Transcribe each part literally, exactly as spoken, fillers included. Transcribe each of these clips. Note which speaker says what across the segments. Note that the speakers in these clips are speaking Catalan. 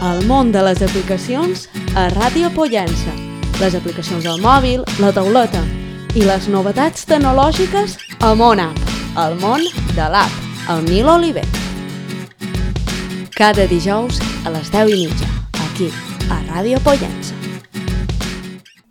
Speaker 1: El món de les aplicacions a Ràdio Pollença. Les aplicacions al mòbil, la tauleta i les novetats tecnològiques a MonApp, el món de l'app, el Nil Oliver. Cada dijous a les deu i mitja, aquí, a Ràdio Pollença.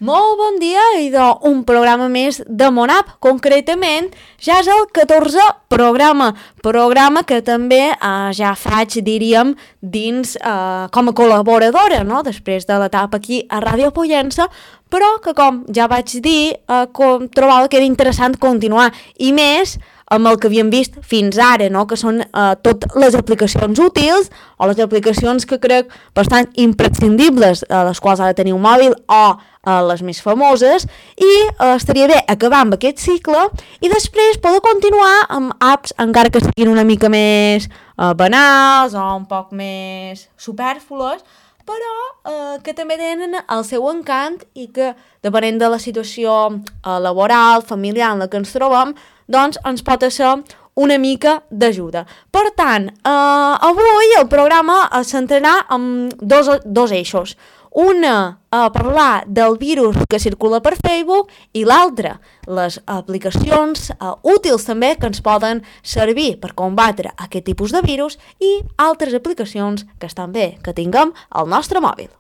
Speaker 1: Molt bon dia i d'un programa més de MonApp. Concretament, ja és el catorzè programa, programa que també eh, ja faig, diríem, dins eh, com a col·laboradora, no? Després de l'etapa aquí a Ràdio Pollença, però que, com ja vaig dir, eh, com trobava que era interessant continuar, i més amb el que havíem vist fins ara, no? Que són eh, totes les aplicacions útils o les aplicacions que crec bastant imprescindibles, eh, les quals ha de tenir un mòbil o eh, les més famoses, i eh, estaria bé acabar amb aquest cicle i després poder continuar amb apps encara que siguin una mica més eh, banals o un poc més supèrflues, però eh, que també tenen el seu encant i que, depenent de la situació eh, laboral, familiar en la que ens trobem, doncs ens pot ser una mica d'ajuda. Per tant, eh, avui el programa es centrarà en dos, dos eixos. Una, a parlar del virus que circula per Facebook, i l'altra, les aplicacions eh, útils també que ens poden servir per combatre aquest tipus de virus i altres aplicacions que estan bé que tinguem al nostre mòbil.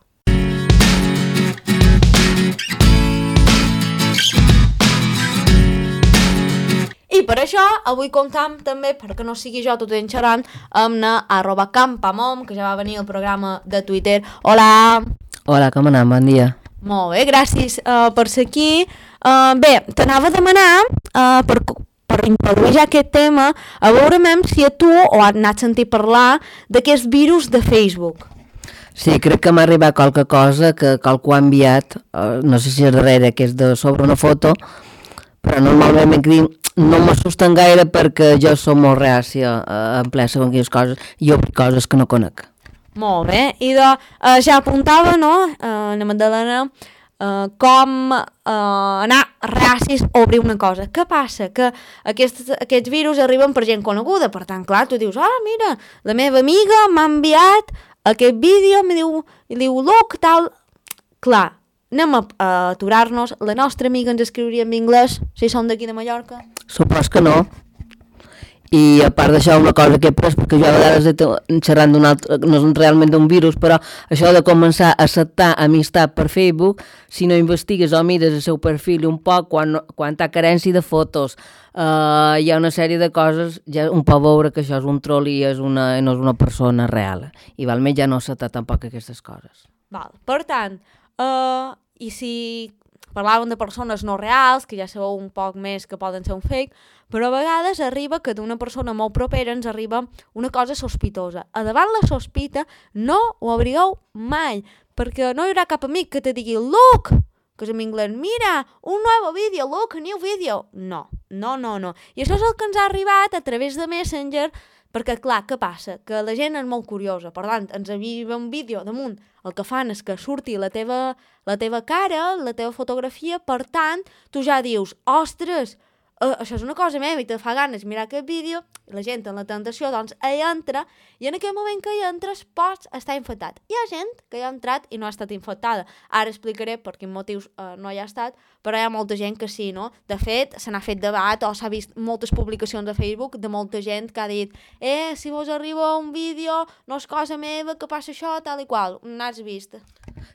Speaker 1: I per això, avui comptam també, perquè no sigui jo tot enxerant, amb na arroba campamom, que ja va venir al programa de Twitter. Hola!
Speaker 2: Hola, com anem? Bon dia.
Speaker 1: Molt bé, gràcies uh, per ser aquí. Uh, bé, t'anava a demanar, uh, per, per introduir ja aquest tema, a veure si a tu o has anat a sentir parlar d'aquest virus de Facebook.
Speaker 2: Sí, crec que m'ha arribat qualque cosa que qualcú ha enviat, uh, no sé si és darrere, que és de sobre una foto, però normalment m'he dit, no m'assusten gaire perquè jo som molt reàcia a emplear segons quines coses i obrir coses que no conec.
Speaker 1: Molt bé, i de, eh, ja apuntava, no, eh, la Magdalena, eh, com eh, anar reàcis a obrir una cosa. Què passa? Que aquests, aquests virus arriben per gent coneguda, per tant, clar, tu dius, ah, mira, la meva amiga m'ha enviat aquest vídeo, em diu, i diu, look, tal, clar, anem a, a aturar-nos, la nostra amiga ens escriuria en anglès, si som d'aquí de Mallorca?
Speaker 2: Supos que no. I a part d'això, una cosa que he pres, perquè jo a vegades he xerrant d'un altre, no és realment d'un virus, però això de començar a acceptar amistat per Facebook, si no investigues o mires el seu perfil un poc, quan, quan hi ha carència de fotos, uh, hi ha una sèrie de coses, ja un pot veure que això és un troll i és una, no és una persona real. I val més ja no acceptar tampoc aquestes coses.
Speaker 1: Val. Per tant, uh, i si parlàvem de persones no reals, que ja sabeu un poc més que poden ser un fake, però a vegades arriba que d'una persona molt propera ens arriba una cosa sospitosa. A davant la sospita no ho abrigueu mai, perquè no hi haurà cap amic que te digui look, que és en anglès, mira, un nou vídeo, look, a new video. No, no, no, no. I això és el que ens ha arribat a través de Messenger, perquè, clar, què passa? Que la gent és molt curiosa, per tant, ens arriba un vídeo damunt, el que fan és que surti la teva, la teva cara, la teva fotografia, per tant, tu ja dius, ostres, uh, això és una cosa meva i te fa ganes mirar aquest vídeo, i la gent en la tentació, doncs, hi entra, i en aquell moment que hi entres pots estar infectat. Hi ha gent que hi ha entrat i no ha estat infectada. Ara explicaré per quins motius uh, no hi ha estat, però hi ha molta gent que sí, no? De fet, se n'ha fet debat o s'ha vist moltes publicacions a Facebook de molta gent que ha dit eh, si vos arriba un vídeo, no és cosa meva, que passa això, tal i qual. N'has vist?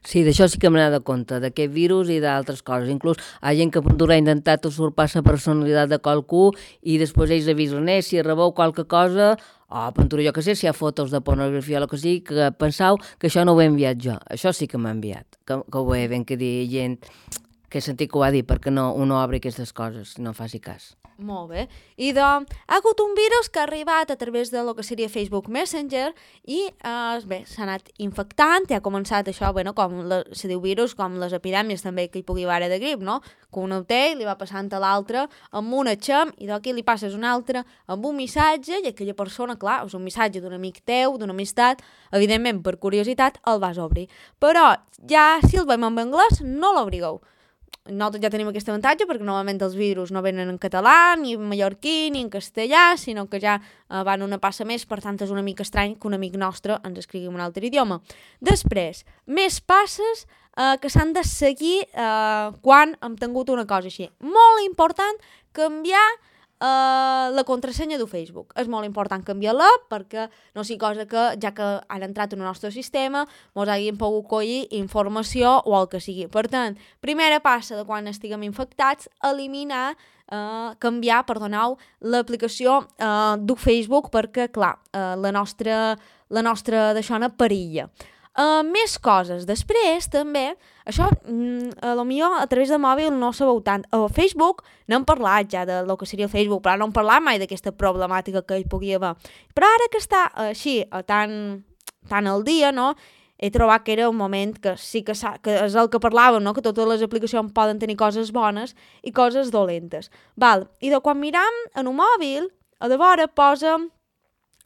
Speaker 2: Sí, d'això sí que m'he donat compte, d'aquest virus i d'altres coses. Inclús hi ha gent que ha intentat usurpar la personalitat de qualcú i després ells avisen, eh, si rebeu qualque cosa, o oh, pentura jo que sé, si hi ha fotos de pornografia o el que sigui, que penseu que això no ho he enviat jo. Això sí que m'ha enviat, que, que ho he ben que dir gent que he sentit que ho ha dit, perquè no, uno obre aquestes coses, no faci cas.
Speaker 1: Molt bé. I de, ha hagut un virus que ha arribat a través de lo que seria Facebook Messenger i eh, bé, s'ha anat infectant i ha començat això, bueno, com la, se diu virus, com les epidèmies també que hi pugui haver de grip, no? Que un ho té i li va passant a l'altre amb un atxem i d'aquí li passes un altre amb un missatge i aquella persona, clar, és un missatge d'un amic teu, d'una amistat, evidentment per curiositat el vas obrir. Però ja si el veiem en anglès no l'obrigueu. nosaltres ja tenim aquest avantatge perquè normalment els virus no venen en català, ni en mallorquí, ni en castellà, sinó que ja uh, van una passa més, per tant és una mica estrany que un amic nostre ens escrigui en un altre idioma. Després, més passes uh, que s'han de seguir uh, quan hem tingut una cosa així. Molt important canviar Uh, la contrasenya de Facebook. És molt important canviar-la perquè no sigui cosa que, ja que han entrat en el nostre sistema, mos hagin pogut collir informació o el que sigui. Per tant, primera passa de quan estiguem infectats, eliminar, uh, canviar, perdoneu, l'aplicació uh, de Facebook perquè, clar, uh, la nostra, la nostra d'això no perilla. Uh, més coses. Després, també, això, mm, a lo millor a través de mòbil no sabeu tant. A Facebook n'hem parlat ja de lo que seria el Facebook, però no hem parlat mai d'aquesta problemàtica que hi pugui haver. Però ara que està així, tan, tan al dia, no?, he trobat que era un moment que sí que, que és el que parlàvem, no?, que totes les aplicacions poden tenir coses bones i coses dolentes. Val? I de quan miram en un mòbil, a de vora posa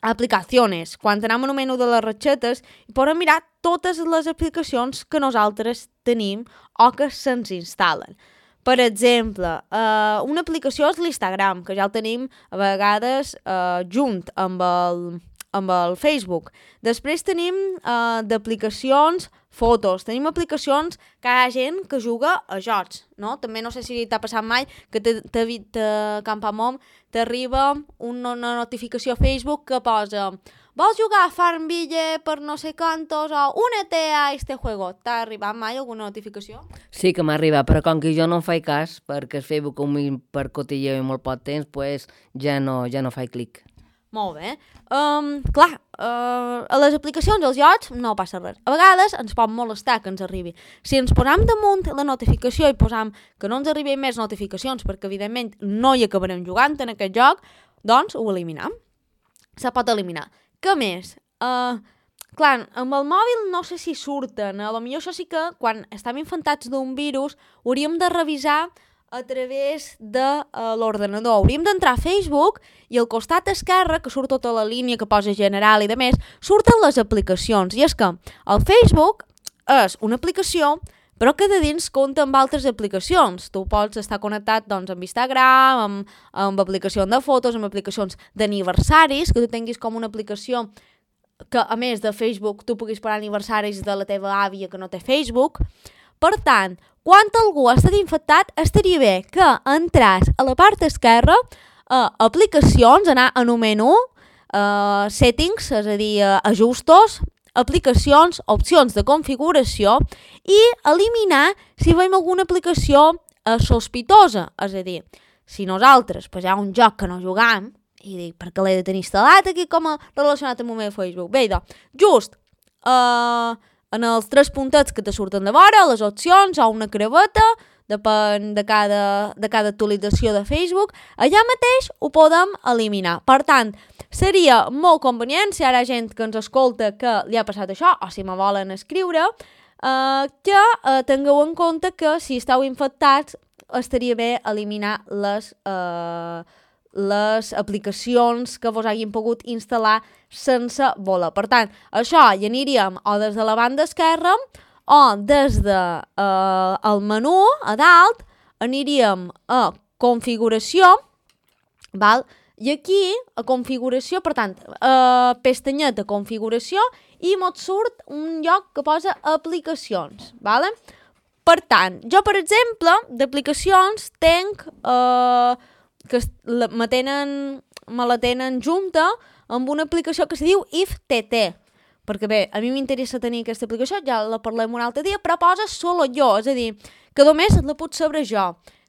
Speaker 1: aplicacions. Quan anem en un menú de les ratxetes, podem mirar totes les aplicacions que nosaltres tenim o que se'ns instal·len. Per exemple, eh, una aplicació és l'Instagram, que ja el tenim a vegades eh, junt amb el, amb el Facebook. Després tenim eh, d'aplicacions fotos, tenim aplicacions que hi ha gent que juga a jocs, no? També no sé si t'ha passat mai que te, te, te Campamom t'arriba una, una notificació a Facebook que posa vols jugar a Farmville per no sé quantos o únete a este juego. T'ha arribat mai alguna notificació?
Speaker 2: Sí que m'ha arribat, però com que jo no en faig cas, perquè el Facebook com per cotilleu i molt poc temps, pues ja no, ja no faig clic.
Speaker 1: Molt bé. Um, clar, uh, a les aplicacions dels jocs no passa res. A vegades ens pot molestar que ens arribi. Si ens posam damunt la notificació i posam que no ens arribin més notificacions perquè evidentment no hi acabarem jugant en aquest joc, doncs ho eliminam. Se pot eliminar. Què més? Uh, clar, amb el mòbil no sé si surten. A lo millor això sí que quan estem infectats d'un virus hauríem de revisar a través de uh, l'ordenador. Hauríem d'entrar a Facebook i al costat esquerre, que surt tota la línia que posa general i de més, surten les aplicacions. I és que el Facebook és una aplicació, però que de dins compta amb altres aplicacions. Tu pots estar connectat doncs, amb Instagram, amb, amb aplicacions de fotos, amb aplicacions d'aniversaris, que tu tinguis com una aplicació que, a més de Facebook, tu puguis parar aniversaris de la teva àvia que no té Facebook. Per tant, quan algú ha estat infectat, estaria bé que entràs a la part esquerra a aplicacions, anar en un menú, uh, settings, és a dir, uh, ajustos, aplicacions, opcions de configuració i eliminar si veiem alguna aplicació uh, sospitosa. És a dir, si nosaltres pues, hi ha un joc que no jugam i dic, per què l'he de tenir instal·lat aquí com a relacionat amb el meu Facebook? Bé, doncs, just... Uh, en els tres puntets que te surten de vora, les opcions o una creveta, depèn de cada, de cada actualització de Facebook, allà mateix ho podem eliminar. Per tant, seria molt convenient, si hi ha gent que ens escolta que li ha passat això, o si me volen escriure, eh, que eh, tingueu en compte que si esteu infectats estaria bé eliminar les... Eh, les aplicacions que vos hagin pogut instal·lar sense voler. Per tant, això hi aniríem o des de la banda esquerra o des de eh, el menú a dalt aniríem a configuració, val? I aquí a configuració, per tant, eh, pestanyeta configuració i mos surt un lloc que posa aplicacions, vale? Per tant, jo per exemple d'aplicacions tenc... Eh, que la, me, tenen, me la tenen junta amb una aplicació que se diu I F T T. Perquè bé, a mi m'interessa tenir aquesta aplicació, ja la parlem un altre dia, però posa solo jo, és a dir, que només la puc saber jo.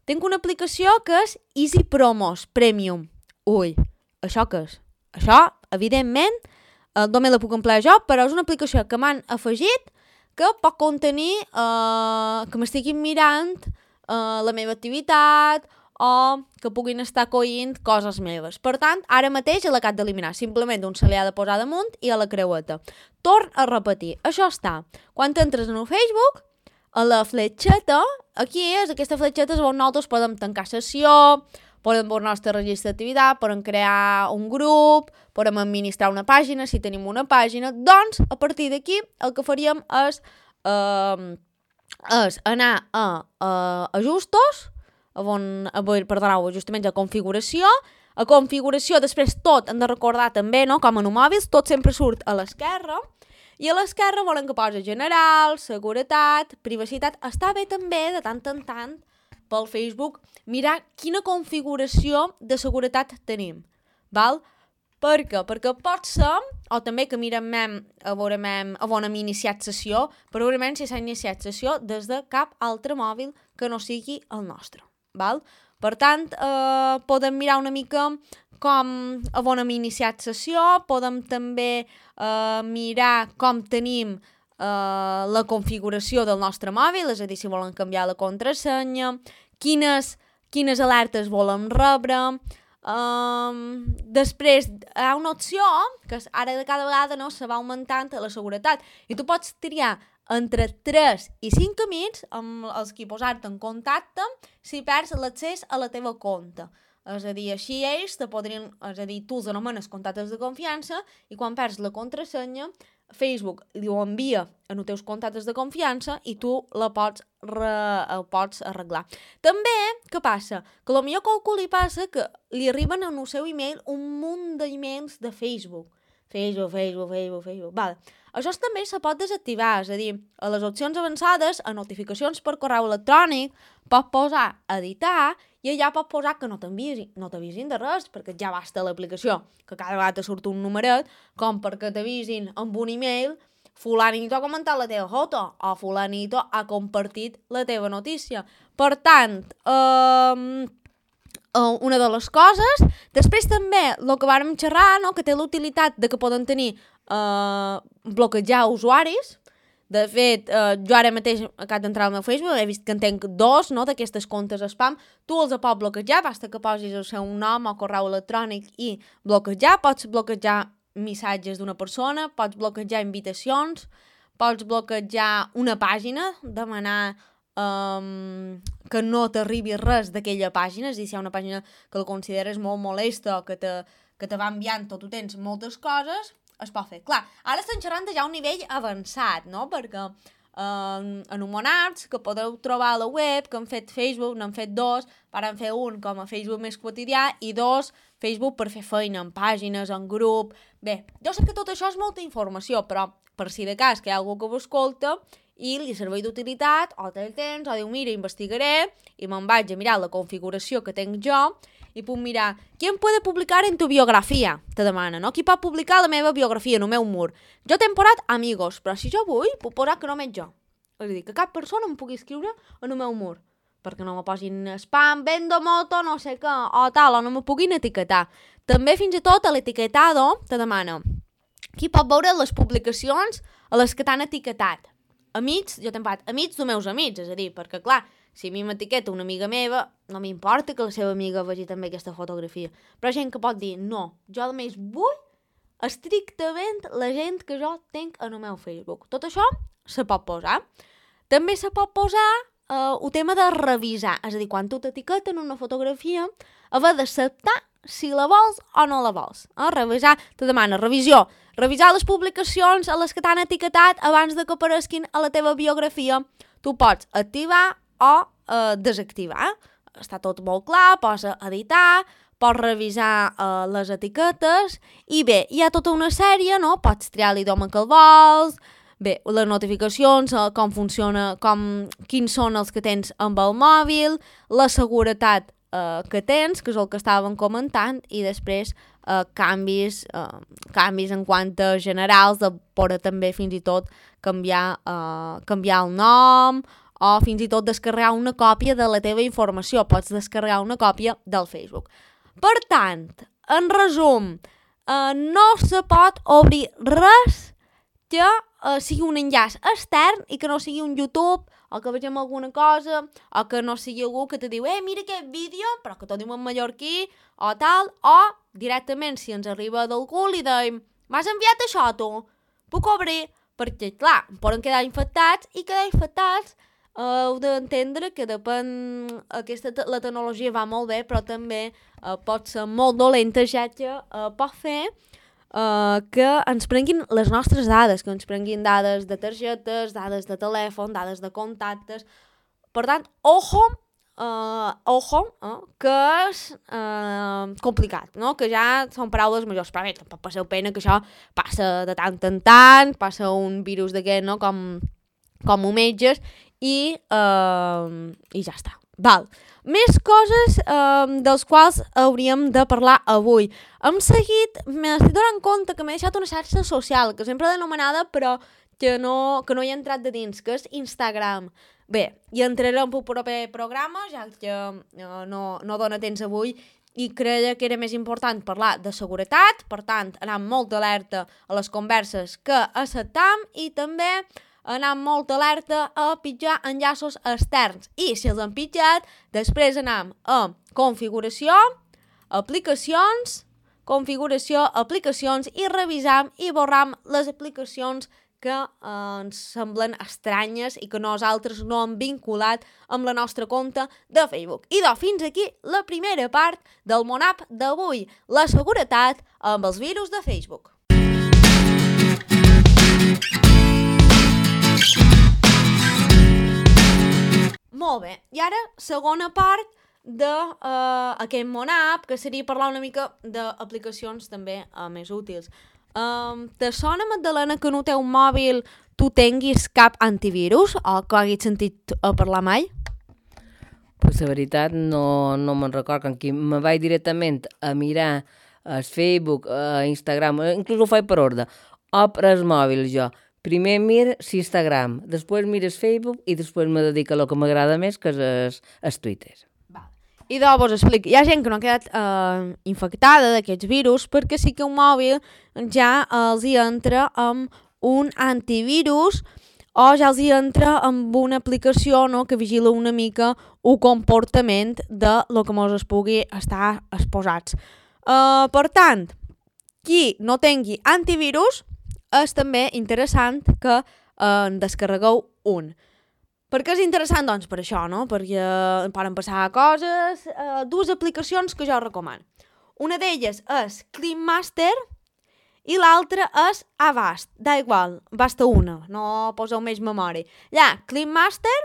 Speaker 1: Tinc una aplicació que és Easy Promos Premium. Ui, això què és? Això, evidentment, eh, només la puc emplear jo, però és una aplicació que m'han afegit que pot contenir, eh, que m'estiguin mirant eh, la meva activitat o que puguin estar coint coses meves. Per tant, ara mateix l'acabo d'eliminar. Simplement un se li ha de posar damunt i a la creueta. Torn a repetir. Això està. Quan entres en el Facebook, a la fletxeta, aquí és, aquesta fletxeta és on nosaltres podem tancar sessió, podem veure el nostre registre d'activitat, podem crear un grup, podem administrar una pàgina, si tenim una pàgina. Doncs, a partir d'aquí, el que faríem és... Eh, és anar a, a ajustos, a on, a, perdoneu, ajustaments a configuració, a configuració, després tot, hem de recordar també, no?, com en un mòbil, tot sempre surt a l'esquerra, i a l'esquerra volen que posa general, seguretat, privacitat. Està bé també, de tant en tant, pel Facebook, mirar quina configuració de seguretat tenim, val? Per què? Perquè pot ser, o també que mirem a veure a on hem iniciat sessió, per veure si s'ha iniciat sessió des de cap altre mòbil que no sigui el nostre, val? Per tant, eh, podem mirar una mica com a on hem iniciat sessió, podem també eh, mirar com tenim eh, la configuració del nostre mòbil, és a dir, si volen canviar la contrasenya, quines, quines alertes volem rebre. Um, després hi ha una opció que ara de cada vegada no se va augmentant la seguretat i tu pots triar entre tres i cinc amics amb els qui posar-te en contacte si perds l'accés a la teva compte. És a dir, així ells te podrien, és a dir, tu els anomenes contactes de confiança i quan perds la contrasenya, Facebook li ho envia en els teus contactes de confiança i tu la pots, re, el pots arreglar. També, què passa? Que potser a qualcú li passa que li arriben en el seu email un munt d'emails de Facebook. Facebook, Facebook, Facebook, Facebook. Vale. Això també se pot desactivar, és a dir, a les opcions avançades, a notificacions per correu electrònic, pots posar editar i allà pots posar que no t'avisin, no t'avisin de res, perquè ja basta l'aplicació, que cada vegada te surt un numeret, com perquè t'avisin amb un email, fulanito ha comentat la teva foto, o fulanito ha compartit la teva notícia. Per tant, eh... Uh, una de les coses. Després també el que vàrem xerrar, no?, que té la utilitat de que poden tenir uh, bloquejar usuaris. De fet, uh, jo ara mateix acabo d'entrar al meu Facebook, he vist que en tenc dos, no?, d'aquestes comptes spam. Tu els pots bloquejar, basta que posis el seu nom o correu electrònic i bloquejar. Pots bloquejar missatges d'una persona, pots bloquejar invitacions, pots bloquejar una pàgina, demanar Um, que no t'arribi res d'aquella pàgina, és a dir, si hi ha una pàgina que la consideres molt molesta o que te, que te va enviant tot, tu tens moltes coses, es pot fer. Clar, ara estem xerrant de ja un nivell avançat, no?, perquè um, anomenats que podeu trobar a la web, que han fet Facebook, n'han fet dos, varen fer un com a Facebook més quotidià i dos Facebook per fer feina en pàgines, en grup. Bé, jo sé que tot això és molta informació, però per si de cas que hi ha algú que ho escolta i li serveix d'utilitat, o té el temps, o diu, mira, investigaré, i me'n vaig a mirar la configuració que tenc jo, i puc mirar, ¿quién puede publicar en tu biografia? Te demana, no? Qui pot publicar la meva biografia en el meu mur? Jo t'he posat amigos, però si jo vull, puc posar que només jo. És a dir, que cap persona em pugui escriure en el meu mur, perquè no me posin spam, vendo moto, no sé què, o tal, o no me puguin etiquetar. També, fins i tot, a l'etiquetado te demana, qui pot veure les publicacions a les que t'han etiquetat? Amics, jo t'he posat amics dels meus amics, és a dir, perquè clar, si a mi m'etiqueta una amiga meva, no m'importa que la seva amiga vegi també aquesta fotografia. Però hi ha gent que pot dir, no, jo només vull estrictament la gent que jo tinc en el meu Facebook. Tot això se pot posar. També se pot posar eh, el tema de revisar, és a dir, quan tu t'etiqueten una fotografia, haver d'acceptar si la vols o no la vols. Eh? Revisar, te demana revisió. Revisar les publicacions a les que t'han etiquetat abans de que apareguin a la teva biografia. Tu pots activar o eh, desactivar. Està tot molt clar, pots editar, pots revisar eh, les etiquetes i bé, hi ha tota una sèrie, no? Pots triar l'idioma que el vols, bé, les notificacions, eh, com funciona, com, quins són els que tens amb el mòbil, la seguretat eh, que tens, que és el que estàvem comentant, i després Uh, canvis, uh, canvis en quant a generals, de poder també fins i tot canviar, uh, canviar el nom o fins i tot descarregar una còpia de la teva informació. Pots descarregar una còpia del Facebook. Per tant, en resum, uh, no se pot obrir res que uh, sigui un enllaç extern i que no sigui un YouTube o que vegem alguna cosa, o que no sigui algú que te diu, eh, mira aquest vídeo, però que t'ho diu en mallorquí, o tal, o directament, si ens arriba d'algú, li deim, m'has enviat això, tu? Puc obrir? Perquè, clar, poden quedar infectats, i quedar infectats eh, heu d'entendre que depèn, aquesta, la tecnologia va molt bé, però també eh, pot ser molt dolenta, ja que eh, pot fer uh, que ens prenguin les nostres dades, que ens prenguin dades de targetes, dades de telèfon, dades de contactes. Per tant, ojo, uh, ojo, uh, que és uh, complicat, no? Que ja són paraules majors, però bé, tampoc passeu pena, que això passa de tant en tant, passa un virus d'aquest, no?, com, com hometges, i, uh, i ja està. Val. Més coses eh, dels quals hauríem de parlar avui. Hem seguit, m'estic donant compte que m'he deixat una xarxa social, que sempre l'he anomenada, però que no, que no hi he entrat de dins, que és Instagram. Bé, hi entrarem pel proper programa, ja que eh, no, no dona temps avui, i creia que era més important parlar de seguretat, per tant, anar amb molta alerta a les converses que acceptam, i també anar molt alerta a pitjar enllaços externs. I si els han pitjat, després anam a configuració, aplicacions, configuració, aplicacions, i revisam i borram les aplicacions que eh, ens semblen estranyes i que nosaltres no hem vinculat amb la nostra compte de Facebook. I doncs, fins aquí la primera part del Monap d'avui, la seguretat amb els virus de Facebook. Molt bé, i ara segona part d'aquest uh, Monap, que seria parlar una mica d'aplicacions també uh, més útils. Um, te sona, Magdalena, que no té un mòbil tu tinguis cap antivirus o que hagis sentit a parlar mai?
Speaker 2: Pues la veritat no, no me'n record, que aquí me vaig directament a mirar el Facebook, a Instagram, inclús ho faig per ordre, o per el mòbil jo. Primer miro l'Instagram, després miro el Facebook i després me dedico a lo que m'agrada més, que és el Twitter.
Speaker 1: Val. I doncs vos explico, hi ha gent que no ha quedat eh, infectada d'aquests virus perquè sí que un mòbil ja els hi entra amb un antivirus o ja els hi entra amb una aplicació, no?, que vigila una mica el comportament de lo que mos es pugui estar exposats. Uh, per tant, qui no tingui antivirus, és també interessant que eh, en descarregueu un. Per què és interessant? Doncs per això, no? Perquè poden passar coses, eh, dues aplicacions que jo recomano. Una d'elles és Clean Master i l'altra és Avast. Da igual, basta una, no poseu més memòria. Ja, Clean Master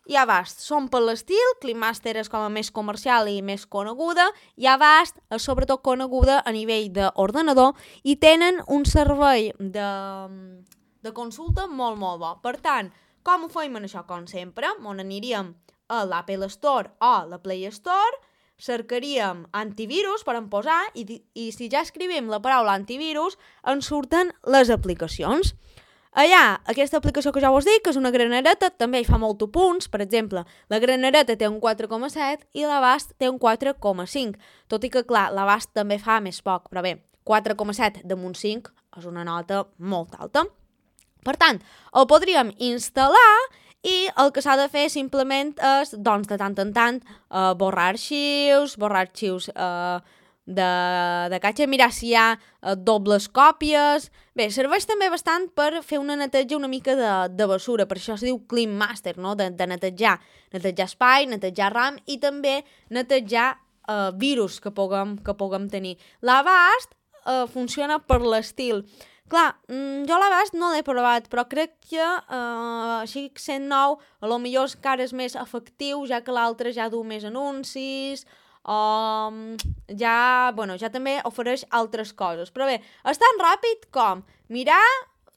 Speaker 1: i Avast són per l'estil, Clean Master és com a més comercial i més coneguda, i Avast és sobretot coneguda a nivell d'ordenador i tenen un servei de, de consulta molt, molt bo. Per tant, com ho feim en això? Com sempre, on aniríem a l'Apple Store o la Play Store, cercaríem antivirus per en posar i, i si ja escrivim la paraula antivirus, ens surten les aplicacions. Allà, aquesta aplicació que ja us dic, que és una granereta, també hi fa molts punts. Per exemple, la granereta té un quatre coma set i l'Avast té un quatre coma cinc. Tot i que, clar, l'Avast també fa més poc, però bé, quatre coma set damunt cinc és una nota molt alta. Per tant, el podríem instal·lar i el que s'ha de fer simplement és, doncs, de tant en tant, eh, borrar arxius, borrar arxius eh, de, de catxa, mirar si hi ha eh, dobles còpies. Bé, serveix també bastant per fer una neteja una mica de, de bessura, per això es diu Clean Master, no? de, de netejar, netejar espai, netejar RAM i també netejar eh, virus que puguem, que puguem tenir. L'Avast eh, funciona per l'estil. Clar, jo l'Avast no l'he provat, però crec que eh, així cent nou a lo millor encara és més efectiu, ja que l'altre ja du més anuncis, o ja, bueno, ja també ofereix altres coses. Però bé, és tan ràpid com mirar,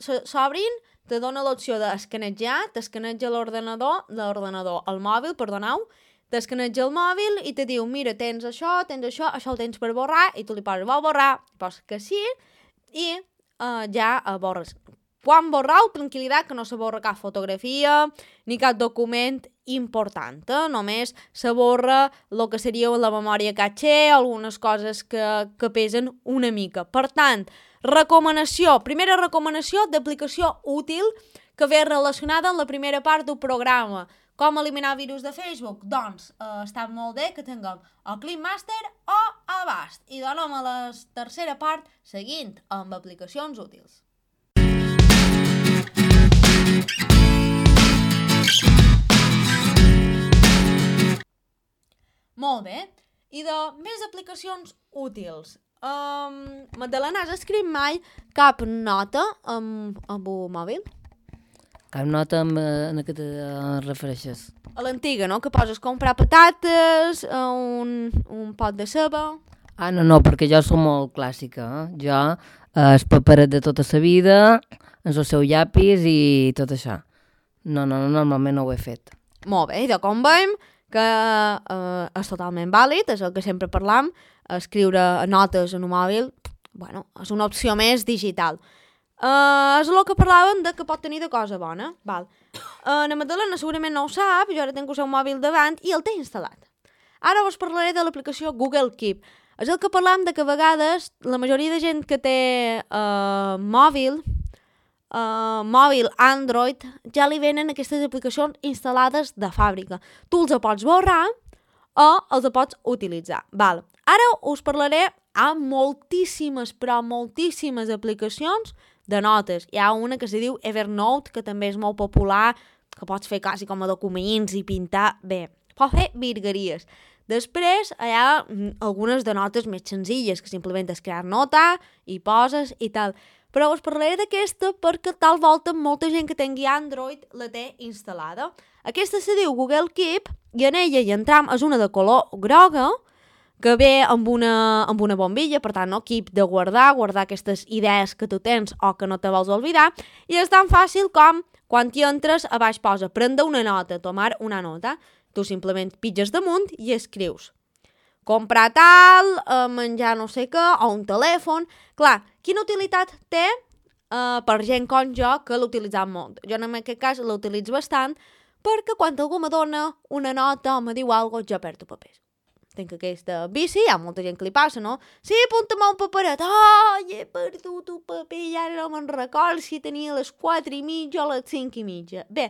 Speaker 1: s'obrin, te dona l'opció d'escanejar, t'escaneja l'ordenador, l'ordenador, el mòbil, perdoneu, t'escaneja el mòbil i te diu, mira, tens això, tens això, això ho tens per borrar, i tu li poses, vol borrar, poses que sí, i uh, ja uh, borres. Quan borrau, tranquil·litat, que no se borra cap fotografia ni cap document important, eh? Només se borra el que seria la memòria caché, algunes coses que, que pesen una mica. Per tant, recomanació, primera recomanació d'aplicació útil que ve relacionada amb la primera part del programa. Com eliminar virus de Facebook? Doncs eh, està molt bé que tinguem o Clean Master o Avast. I donem a la tercera part seguint amb aplicacions útils. Molt bé. I de més aplicacions útils. Um, Magdalena, has escrit mai cap nota amb, amb un mòbil?
Speaker 2: Cap nota amb, eh, en què te refereixes?
Speaker 1: A l'antiga, no? Que poses comprar patates, uh, un, un pot de ceba...
Speaker 2: Ah, no, no, perquè jo som molt clàssica. Eh? Jo, eh, el paperet de tota la vida, el seu llapis i tot això. No, no, no, normalment no ho he fet.
Speaker 1: Molt bé, i de com veiem que eh, és totalment vàlid, és el que sempre parlam, escriure notes en un mòbil, bueno, és una opció més digital. Uh, és el que parlàvem de que pot tenir de cosa bona. Val. Uh, la Magdalena segurament no ho sap, jo ara tinc el seu mòbil davant i el té instal·lat. Ara us parlaré de l'aplicació Google Keep. És el que parlam de que a vegades la majoria de gent que té uh, mòbil, uh, mòbil Android, ja li venen aquestes aplicacions instal·lades de fàbrica. Tu els pots borrar o els pots utilitzar. Val. Ara us parlaré amb moltíssimes, però moltíssimes aplicacions de notes. Hi ha una que se diu Evernote, que també és molt popular, que pots fer quasi com a documents i pintar. Bé, pots fer virgueries. Després hi ha algunes de notes més senzilles, que simplement és crear nota i poses i tal. Però us parlaré d'aquesta perquè tal volta molta gent que tingui Android la té instal·lada. Aquesta se diu Google Keep i en ella hi entram, és una de color groga, que ve amb una, amb una bombilla, per tant, no? Keep de guardar, guardar aquestes idees que tu tens o que no te vols oblidar, i és tan fàcil com quan hi entres, a baix posa prendre una nota, tomar una nota. Tu simplement pitges damunt i escrius comprar tal, eh, menjar no sé què, o un telèfon. Clar, quina utilitat té eh, per gent com jo que l'utilitzam molt? Jo en aquest cas l'utilitzo bastant perquè quan algú me dona una nota o me diu alguna cosa, jo perdo papers. Tinc aquesta bici, hi ha molta gent que li passa, no? Sí, apunta-me un paperet. Ai, he perdut un paper i ara no me'n record si tenia a les quatre i mitja o a les cinc i mitja. Bé,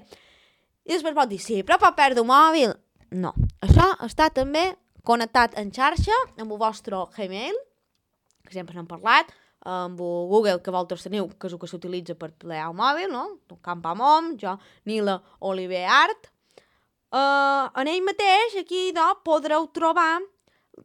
Speaker 1: i després pot dir, sí, però pot perdre un mòbil. No, això està també connectat en xarxa amb el vostre Gmail, que sempre n'hem parlat, amb el Google que vosaltres teniu, que és el que s'utilitza per plegar el mòbil, no? Campamom, jo, Nila Oliver Art. Uh, en ell mateix, aquí, no, podreu trobar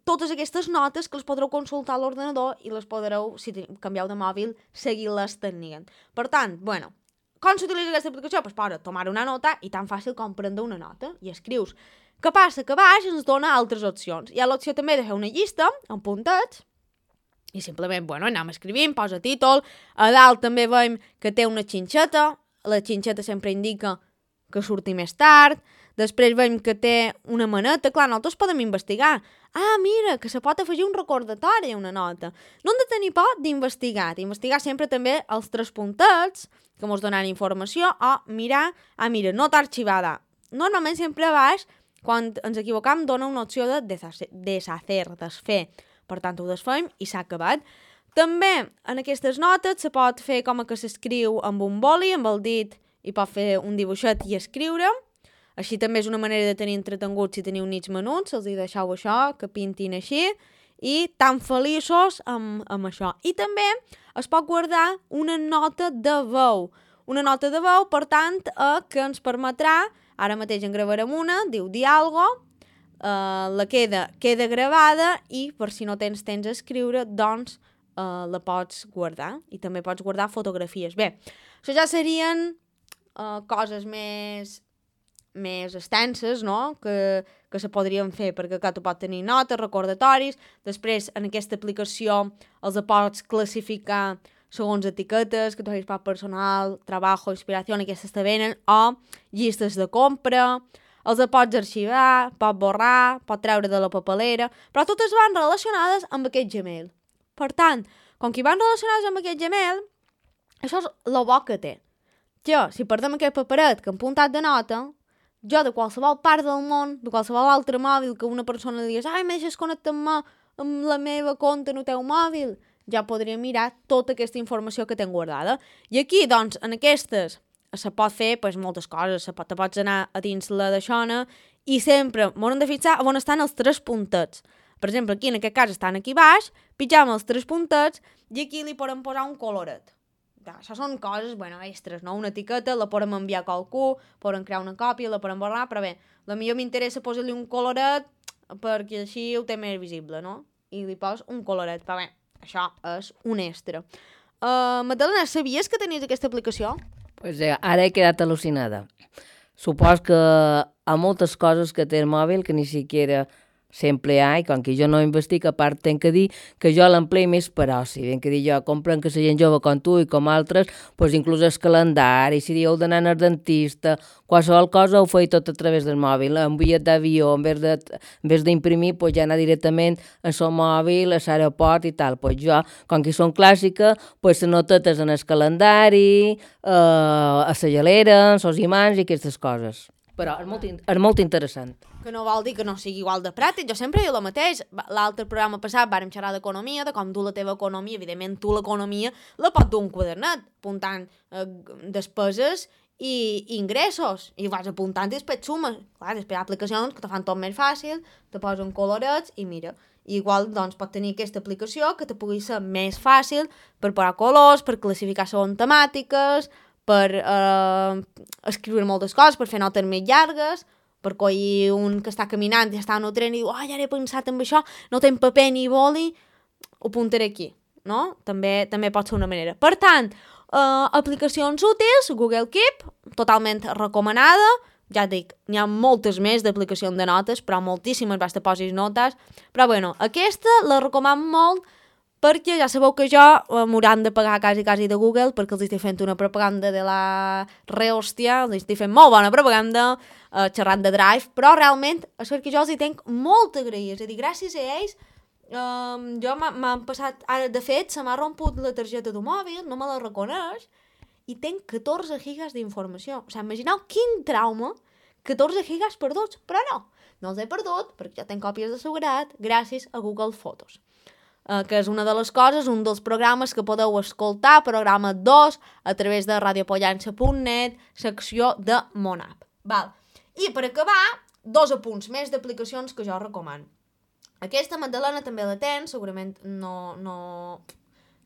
Speaker 1: totes aquestes notes que les podreu consultar a l'ordenador i les podreu, si canvieu de mòbil, seguir-les tenint. Per tant, bueno, com s'utilitza aquesta aplicació? Pues posa tomar una nota i tan fàcil com prendre una nota i escrius. Què passa? Que a baix ens dona altres opcions. Hi ha l'opció també de fer una llista amb puntets i simplement, bueno, anem escrivint, posa títol. A dalt també veiem que té una xinxeta. La xinxeta sempre indica que surti més tard. Després veiem que té una maneta. Clar, nosaltres podem investigar. Ah, mira, que se pot afegir un recordatori a una nota. No hem de tenir por d'investigar. D'investigar sempre també els tres puntets que ens donen informació o mirar, ah, mira, nota arxivada. Normalment sempre a baix, quan ens equivocam, dona una opció de deshacer, desfer. Per tant, ho desfem i s'ha acabat. També en aquestes notes se pot fer com que s'escriu amb un boli, amb el dit, i pot fer un dibuixet i escriure. Així també és una manera de tenir entretenguts si teniu nits menuts, els hi deixeu això, que pintin així, i tan feliços amb, amb això. I també es pot guardar una nota de veu. Una nota de veu, per tant, eh, que ens permetrà, ara mateix en gravarem una, diu dir algo, eh, la queda, queda gravada i per si no tens temps a escriure, doncs eh, la pots guardar. I també pots guardar fotografies. Bé, això ja serien eh, coses més... més extenses, no? que, que se podrien fer, perquè que tu pots tenir notes, recordatoris, després en aquesta aplicació els pots classificar segons etiquetes, que tu hagis per personal, treballo, inspiració, aquestes te venen, o llistes de compra, els pots arxivar, pots borrar, pots treure de la papelera, però totes van relacionades amb aquest Gmail. Per tant, com que van relacionades amb aquest Gmail, això és el bo que té. Jo, si perdem aquest paperet que hem puntat de nota, jo de qualsevol part del món, de qualsevol altre mòbil que una persona li digués ai, me deixes connectar-me amb la meva compte en el teu mòbil, ja podria mirar tota aquesta informació que tenc guardada. I aquí, doncs, en aquestes se pot fer pues, moltes coses, se pot, te pots anar a dins la d'aixona i sempre m'haurem de fixar on estan els tres puntets. Per exemple, aquí en aquest cas estan aquí baix, pitjam els tres puntets i aquí li podem posar un coloret. Això són coses, bueno, extres, no? Una etiqueta, la podem enviar a qualcú, podem crear una còpia, la podem borrar, però bé, la millor m'interessa posar-li un coloret perquè així ho té més visible, no? I li pos un coloret, però bé, Això és un extra. Uh, Magdalena, sabies que tenies aquesta aplicació?
Speaker 2: Pues eh, ara he quedat al·lucinada. Supos que hi ha moltes coses que té el mòbil que ni siquiera s'emplea, i com que jo no investigo, a part tenc que dir que jo l'empleo més per oci. Ben que dir jo, compren que la gent jove com tu i com altres, pues inclús el calendari, si dieu d'anar al dentista, qualsevol cosa ho feia tot a través del mòbil. Un bitllet d'avió, en vez de, en vez d'imprimir, pues ja anar directament al seu mòbil, a l'aeroport i tal. Pues jo, com que són clàssiques, pues se notetes en el calendari, eh, a la gelera, en els imants i aquestes coses. Però és molt, és molt interessant.
Speaker 1: Que no vol dir que no sigui igual de pràctic. Jo sempre dic el mateix. L'altre programa passat vàrem xerrar d'economia, de com dur la teva economia. Evidentment, tu l'economia la pots dur un quadernet, apuntant eh, despeses i ingressos. I vas apuntant i després sumes. Clar, després hi ha aplicacions que te fan tot més fàcil, te posen colorets i mira. I igual doncs, pot tenir aquesta aplicació que te pugui ser més fàcil per posar colors, per classificar segons temàtiques, per eh, escriure moltes coses, per fer notes més llargues, per collir un que està caminant i està en el tren i diu, oh, ja he pensat en això, no tenc paper ni boli, ho apuntaré aquí, no? També, també pot ser una manera. Per tant, eh, aplicacions útils, Google Keep, totalment recomanada, ja et dic, n'hi ha moltes més d'aplicacions de notes, però moltíssimes, vas te posis notes, però bueno, aquesta la recomano molt, perquè ja sabeu que jo eh, m'hauran de pagar quasi quasi de Google perquè els estic fent una propaganda de la rehòstia, els estic fent molt bona propaganda eh, xerrant de Drive, però realment és perquè jo els hi tenc molt agrair, és a dir, gràcies a ells eh, jo m'han passat, ara de fet se m'ha romput la targeta del mòbil, no me la reconeix i tenc catorze gigas d'informació, o sigui, imagineu quin trauma, catorze gigas perduts, però no, no els he perdut perquè ja tenc còpies de seguretat gràcies a Google Fotos. Uh, que és una de les coses, un dels programes que podeu escoltar, programa dos, a través de radiopollança punt net, secció de Monap. Val. I per acabar, dos apunts més d'aplicacions que jo recomano. Aquesta Magdalena també la tens, segurament no, no,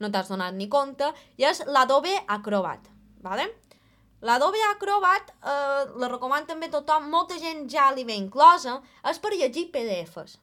Speaker 1: no t'has donat ni compte, i és l'Adobe Acrobat. Vale? L'Adobe Acrobat eh, la recomano també tothom, molta gent ja li ve inclosa, és per llegir P D Fs.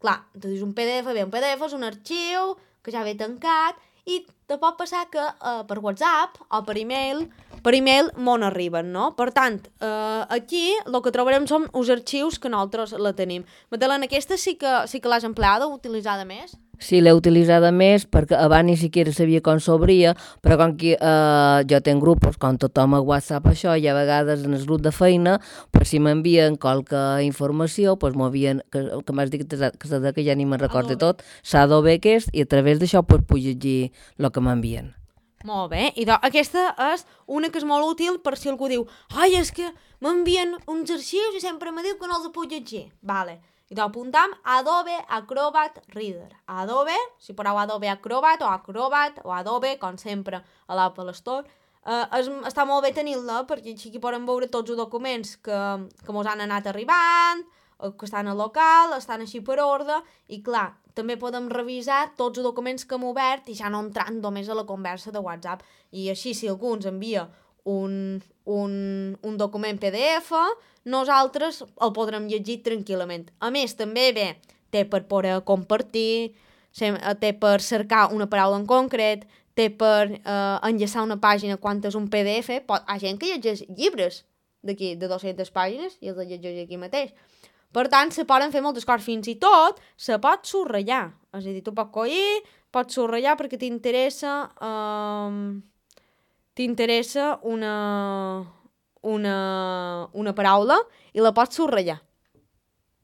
Speaker 1: Clar, tu dius un P D F, bé, un P D F és un arxiu que ja ve tancat i te pot passar que eh, per WhatsApp o per e-mail, per e-mail m'on arriben, no? Per tant, eh, aquí el que trobarem són els arxius que nosaltres la tenim. Magdalena, aquesta sí que, sí que l'has empleada, utilitzada més?
Speaker 2: Sí, l'he utilitzada més perquè abans ni siquiera sabia com s'obria, però com que eh, jo tenc grupos, com tothom a WhatsApp això, i a vegades en el grup de feina, per si m'envien qualque informació, doncs m'envien, que, que m'has dit que, que, que ja ni me'n recordo tot, s'Adobe aquest, i a través d'això doncs, puc llegir el que m'envien.
Speaker 1: Molt bé, i doncs aquesta és una que és molt útil per si algú diu ai, és que m'envien uns arxius i sempre me diu que no els puc llegir. Vale. I doncs apuntam Adobe Acrobat Reader. Adobe, si poseu Adobe Acrobat o Acrobat o Adobe, com sempre a l'Apple Store, eh, és, està molt bé tenir-la perquè així podem veure tots els documents que, que mos han anat arribant, que estan al local, estan així per ordre, i clar, també podem revisar tots els documents que hem obert i ja no entrant només a la conversa de WhatsApp. I així, si algú ens envia un, un, un document P D F, nosaltres el podrem llegir tranquil·lament. A més, també bé, té per poder compartir, té per cercar una paraula en concret, té per eh, enllaçar una pàgina quan és un P D F. Pot, hi ha gent que llegeix llibres d'aquí, de dues-centes pàgines, i els llegeix aquí mateix. Per tant, se poden fer moltes coses, fins i tot se pot subratllar. És a dir, tu pots collir, pots subratllar perquè t'interessa eh, t'interessa una, una, una paraula i la pots subratllar.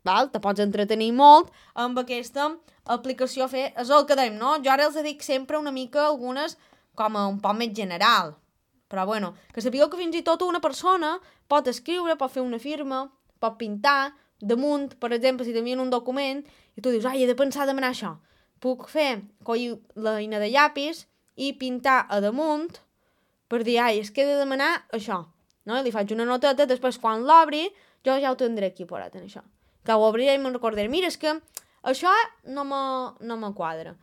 Speaker 1: Val? Te pots entretenir molt amb aquesta aplicació. Fer, és el que dèiem, no? Jo ara els dic sempre una mica algunes com a un poc més general. Però bueno, que sapigueu que fins i tot una persona pot escriure, pot fer una firma, pot pintar damunt, per exemple, si t'envien un document i tu dius, ai, he de pensar a demanar això. Puc fer, collir l'eina de llapis i pintar a damunt per dir, ai, és que he de demanar això. No? I li faig una noteta, després quan l'obri, jo ja ho tindré aquí parat en això. Que ho obriré i me'n recordaré, mira, és que això no me, no me quadra.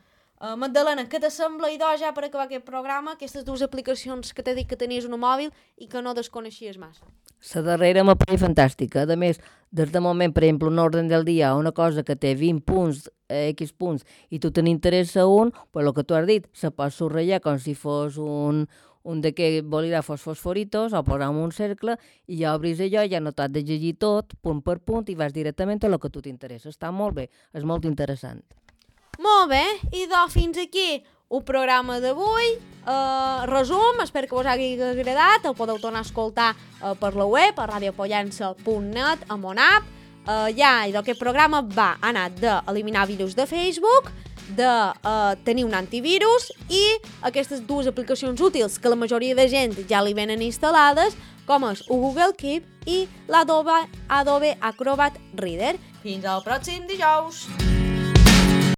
Speaker 1: Uh, Magdalena, què t'assembla, idò, ja per acabar aquest programa, aquestes dues aplicacions que t'he dit que tenies un mòbil i que no desconeixies massa?
Speaker 2: La darrera m'ha parit fantàstica. A més, des de moment, per exemple, un ordre del dia, una cosa que té vint punts, eh, X punts, i tu te n'interessa un, pues el que tu has dit, se pot subratllar com si fos un, un d'aquests bolígrafos fosforitos, o posar en un cercle, i ja obris allò, ja no t'has de llegir tot, punt per punt, i vas directament a el que a tu t'interessa. Està molt bé, és molt interessant.
Speaker 1: Molt bé, i doncs fins aquí el programa d'avui. Uh, resum, espero que us hagi agradat, el podeu tornar a escoltar uh, per la web, a radiopollença punt net, a Monap. Uh, ja, i aquest programa va anar d'eliminar virus de Facebook, de uh, tenir un antivirus i aquestes dues aplicacions útils que la majoria de gent ja li venen instal·lades, com és el Google Keep i l'Adobe Adobe Acrobat Reader. Fins al pròxim dijous!